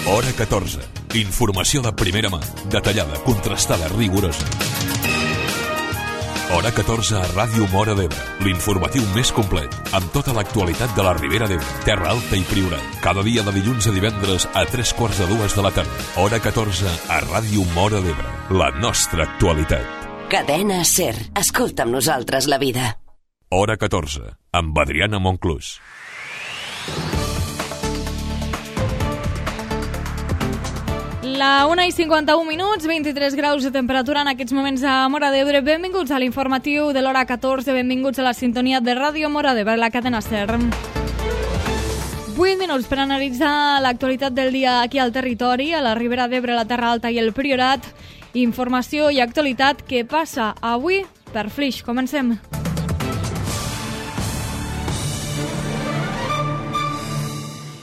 Hora 14. Informació de primera mà, detallada, contrastada, rigorosa. Hora 14 a Ràdio Móra d'Ebre, l'informatiu més complet, amb tota l'actualitat de la Ribera d'Ebre, Terra Alta i Priorat. Cada dia de dilluns a divendres a 3:45 de la tarda. Hora 14 a Ràdio Móra d'Ebre, la nostra actualitat. Cadena SER. Escolta amb nosaltres la vida. Hora 14, amb Adriana Monclús. La 1:51, 23 graus de temperatura en aquests moments a Móra d'Ebre. Benvinguts a l'informatiu de l'hora 14, benvinguts a la sintonia de Ràdio Móra d'Ebre, la cadena SER. 8 minuts per analitzar l'actualitat del dia aquí al territori, a la Ribera d'Ebre, la Terra Alta i el Priorat. Informació i actualitat que passa avui per Flix. Comencem.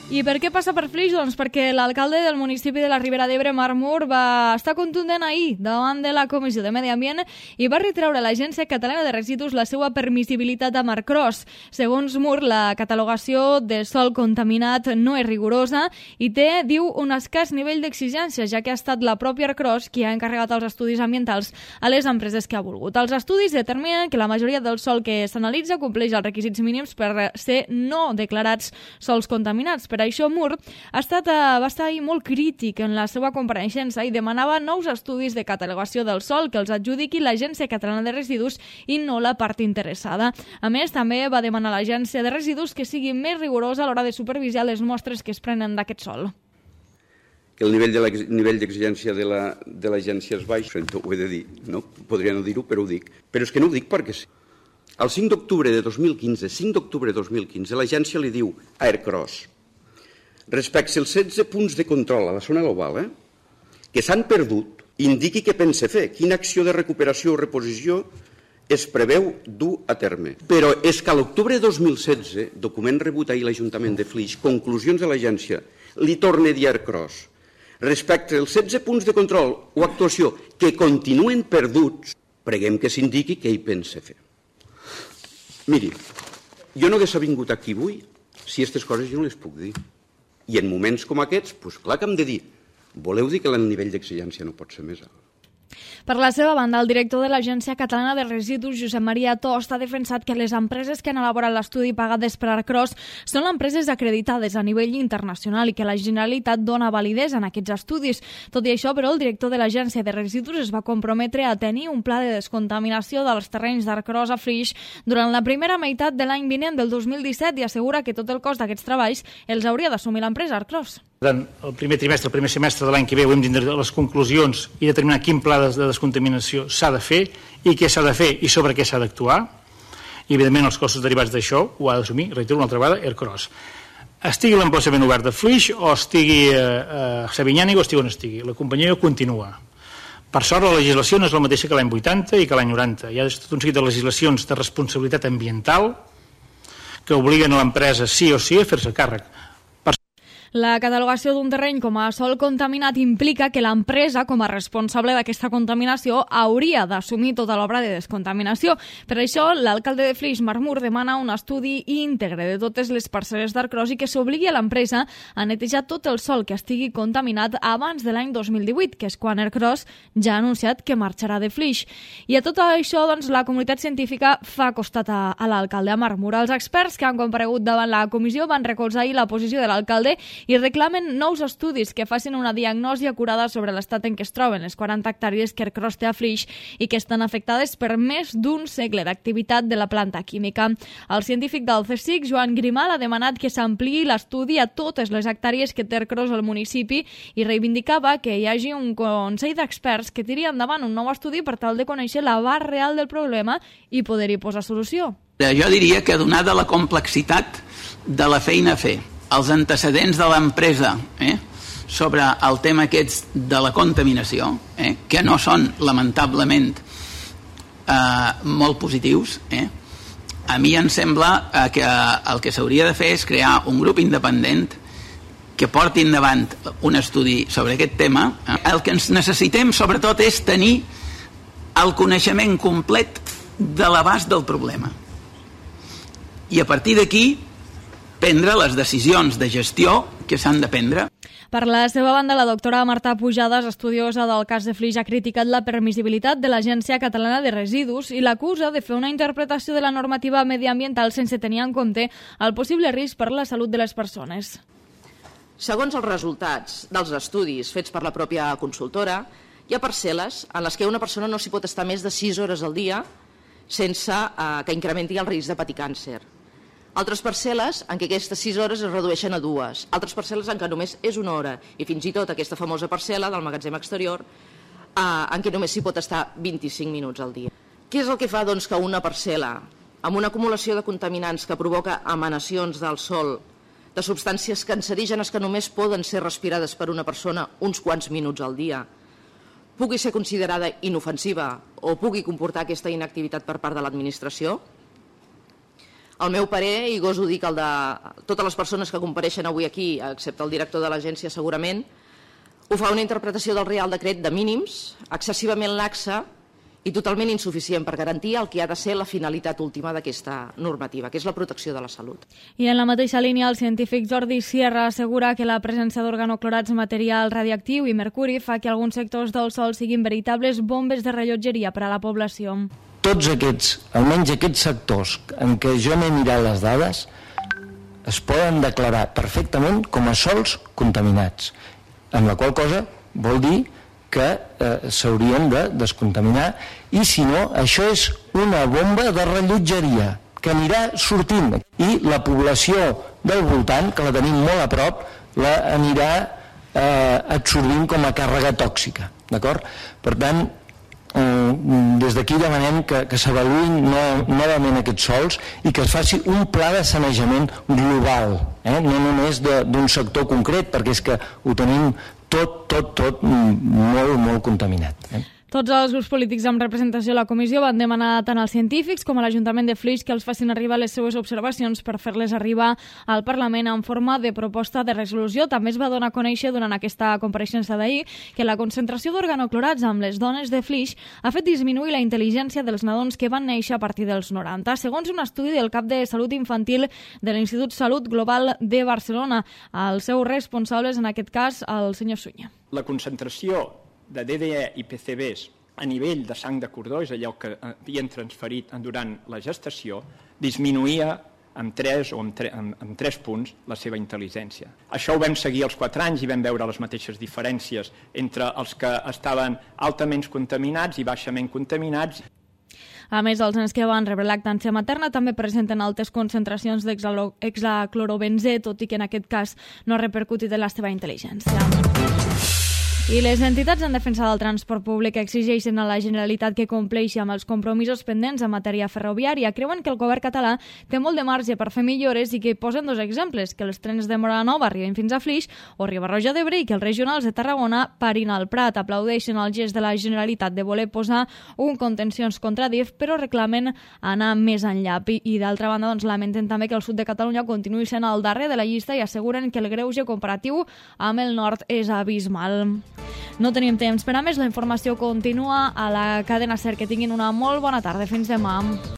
I per què passa per Flix? Doncs perquè l'alcalde del municipi de la Ribera d'Ebre, Marc Mur, va estar contundent ahir davant de la Comissió de Medi Ambient i va retreure a l'Agència Catalana de Residus la seva permissibilitat a Marcros. Segons Mur, la catalogació de sòl contaminat no és rigorosa i té, diu, un escàs nivell d'exigència, ja que ha estat la pròpia Arcros qui ha encarregat els estudis ambientals a les empreses que ha volgut. Els estudis determinen que la majoria del sòl que s'analitza compleix els requisits mínims per ser no declarats sòls contaminats. Per això Mur va estar ahir molt crític en la seva compareixença i demanava nous estudis de catalogació del sòl que els adjudiqui l'Agència Catalana de Residus i no la part interessada. A més, també va demanar a l'Agència de Residus que sigui més rigorosa a l'hora de supervisar les mostres que es prenen d'aquest sòl. Que el nivell d'exigència de l'agència és baix, ho he de dir, no? Podria no dir-ho, però ho dic. Però és que no ho dic perquè sí. El 5 d'octubre de 2015, l'agència li diu a Ercros: respecte als 16 punts de control a la zona global que s'han perdut, indiqui què pensa fer, quina acció de recuperació o reposició es preveu dur a terme. Però és que a l'octubre de 2016, document rebut ahir l'Ajuntament de Flix, conclusions de l'agència, li torna a dir a Ercros: respecte als 16 punts de control o actuació que continuen perduts, preguem que s'indiqui què hi pensa fer. Miri, jo no hagués vingut aquí avui si aquestes coses jo no les puc dir. I en moments com aquests, doncs clar que hem de dir, voleu dir que el nivell d'exigència no pot ser més alt? Per la seva banda, el director de l'Agència Catalana de Residus, Josep Maria Tost, ha defensat que les empreses que han elaborat l'estudi pagades per Arcros són empreses acreditades a nivell internacional i que la Generalitat dona validesa en aquests estudis. Tot i això, però, el director de l'Agència de Residus es va comprometre a tenir un pla de descontaminació dels terrenys d'Arcros a Flix durant la primera meitat de l'any vinent del 2017 i assegura que tot el cost d'aquests treballs els hauria d'assumir l'empresa Arcros. Durant el primer trimestre, el primer semestre de l'any que ve, hem de tindre les conclusions i determinar quin pla de descontaminació s'ha de fer i què s'ha de fer i sobre què s'ha d'actuar. I, evidentment, els costos derivats d'això ho ha d'assumir, reitero una altra vegada, Ercros. Estigui l'emplaçament obert de Flix o estigui a Sabinyànic o estigui on estigui. La companyia continua. Per sort, la legislació no és la mateixa que l'any 80 i que l'any 90. Hi ha tot un seguit de legislacions de responsabilitat ambiental que obliguen a l'empresa sí o sí a fer-se càrrec. La catalogació d'un terreny com a sòl contaminat implica que l'empresa, com a responsable d'aquesta contaminació, hauria d'assumir tota l'obra de descontaminació. Per això, l'alcalde de Flix, Marc Mur, demana un estudi íntegre de totes les parcel·les d'Arcros i que s'obligui a l'empresa a netejar tot el sòl que estigui contaminat abans de l'any 2018, que és quan Arcros ja ha anunciat que marxarà de Flix. I a tot això, doncs, la comunitat científica fa costat a l'alcalde, a Marc Mur. Els experts que han comparegut davant la comissió van recolzar ahir la posició de l'alcalde i reclamen nous estudis que facin una diagnosi acurada sobre l'estat en què es troben les 40 hectàrees que Arcros té a Flix i que estan afectades per més d'un segle d'activitat de la planta química. El científic del CSIC, Joan Grimal, ha demanat que s'ampliï l'estudi a totes les hectàrees que té Arcros al municipi i reivindicava que hi hagi un consell d'experts que tiri endavant un nou estudi per tal de conèixer l'abast real del problema i poder-hi posar solució. Jo diria que donada la complexitat de la feina a fer, els antecedents de l'empresa sobre el tema aquests de la contaminació, que no són lamentablement molt positius, a mi em sembla que el que s'hauria de fer és crear un grup independent que porti endavant un estudi sobre aquest tema. El que ens necessitem sobretot és tenir el coneixement complet de l'abast del problema i a partir d'aquí prendre les decisions de gestió que s'han de prendre. Per la seva banda, la doctora Marta Pujades, estudiosa del cas de Flix, ha criticat la permissibilitat de l'Agència Catalana de Residus i l'acusa de fer una interpretació de la normativa mediambiental sense tenir en compte el possible risc per la salut de les persones. Segons els resultats dels estudis fets per la pròpia consultora, hi ha parcel·les en les que una persona no s'hi pot estar més de 6 hores al dia sense que incrementi el risc de patir càncer. Altres parcel·les en què aquestes 6 hores es redueixen a 2, altres parcel·les en què només és 1 hora, i fins i tot aquesta famosa parcel·la del magatzem exterior en què només s'hi pot estar 25 minuts al dia. Què és el que fa doncs, que una parcel·la amb una acumulació de contaminants que provoca emanacions del sol, de substàncies cancerígenes que només poden ser respirades per una persona uns quants minuts al dia, pugui ser considerada inofensiva o pugui comportar aquesta inactivitat per part de l'administració? El meu parer, i goso dir que el de totes les persones que compareixen avui aquí, excepte el director de l'agència segurament, ho fa una interpretació del Reial Decret de mínims, excessivament laxa i totalment insuficient per garantir el que ha de ser la finalitat última d'aquesta normativa, que és la protecció de la salut. I en la mateixa línia, el científic Jordi Sierra assegura que la presència d'organoclorats, material radiactiu i mercuri fa que alguns sectors del sòl siguin veritables bombes de rellotgeria per a la població. Tots aquests, almenys aquests sectors en què jo m'he mirat les dades, es poden declarar perfectament com a sòls contaminats, amb la qual cosa vol dir que s'haurien de descontaminar, i si no, això és una bomba de rellotgeria que anirà sortint, i la població del voltant, que la tenim molt a prop, la anirà absorbint com a càrrega tòxica, d'acord? Per tant, des d'aquí demanem que s'avaluïn novament aquests sòls i que es faci un pla de sanejament global, no només d'un sector concret, perquè és que ho tenim tot molt contaminat. Tots els grups polítics amb representació a la comissió van demanar tant als científics com a l'Ajuntament de Flix que els facin arribar les seues observacions per fer-les arribar al Parlament en forma de proposta de resolució. També es va donar a conèixer durant aquesta compareixença d'ahir que la concentració d'organoclorats amb les dones de Flix ha fet disminuir la intel·ligència dels nadons que van néixer a partir dels 90, segons un estudi del cap de Salut Infantil de l'Institut Salut Global de Barcelona. Els seus responsables, en aquest cas, el senyor Suña. La concentració de DDE i PCBs a nivell de sang de cordó, és allò que havien transferit durant la gestació, disminuïa amb 3 o amb 3 punts la seva intel·ligència. Això ho vam seguir als 4 anys i vam veure les mateixes diferències entre els que estaven altament contaminats i baixament contaminats. A més, els nens que van rebre lactància materna també presenten altes concentracions d'hexaclorobenzè, tot i que en aquest cas no ha repercutit en la seva intel·ligència. I les entitats en defensa del transport públic exigeixen a la Generalitat que compleixi amb els compromisos pendents en matèria ferroviària. Creuen que el govern català té molt de marge per fer millores i que posen 2 exemples, que els trens de Móra la Nova arriben fins a Flix o Riba-roja d'Ebre i que els regionals de Tarragona parin al Prat. Aplaudeixen el gest de la Generalitat de voler posar un contencions contra DIF, però reclamen anar més enllà. I d'altra banda, lamenten també que el sud de Catalunya continuï sent al darrer de la llista i asseguren que el greuge comparatiu amb el nord és abismal. No tenim temps per a més, la informació continua a la cadena SER. Que tinguin una molt bona tarda. Fins demà.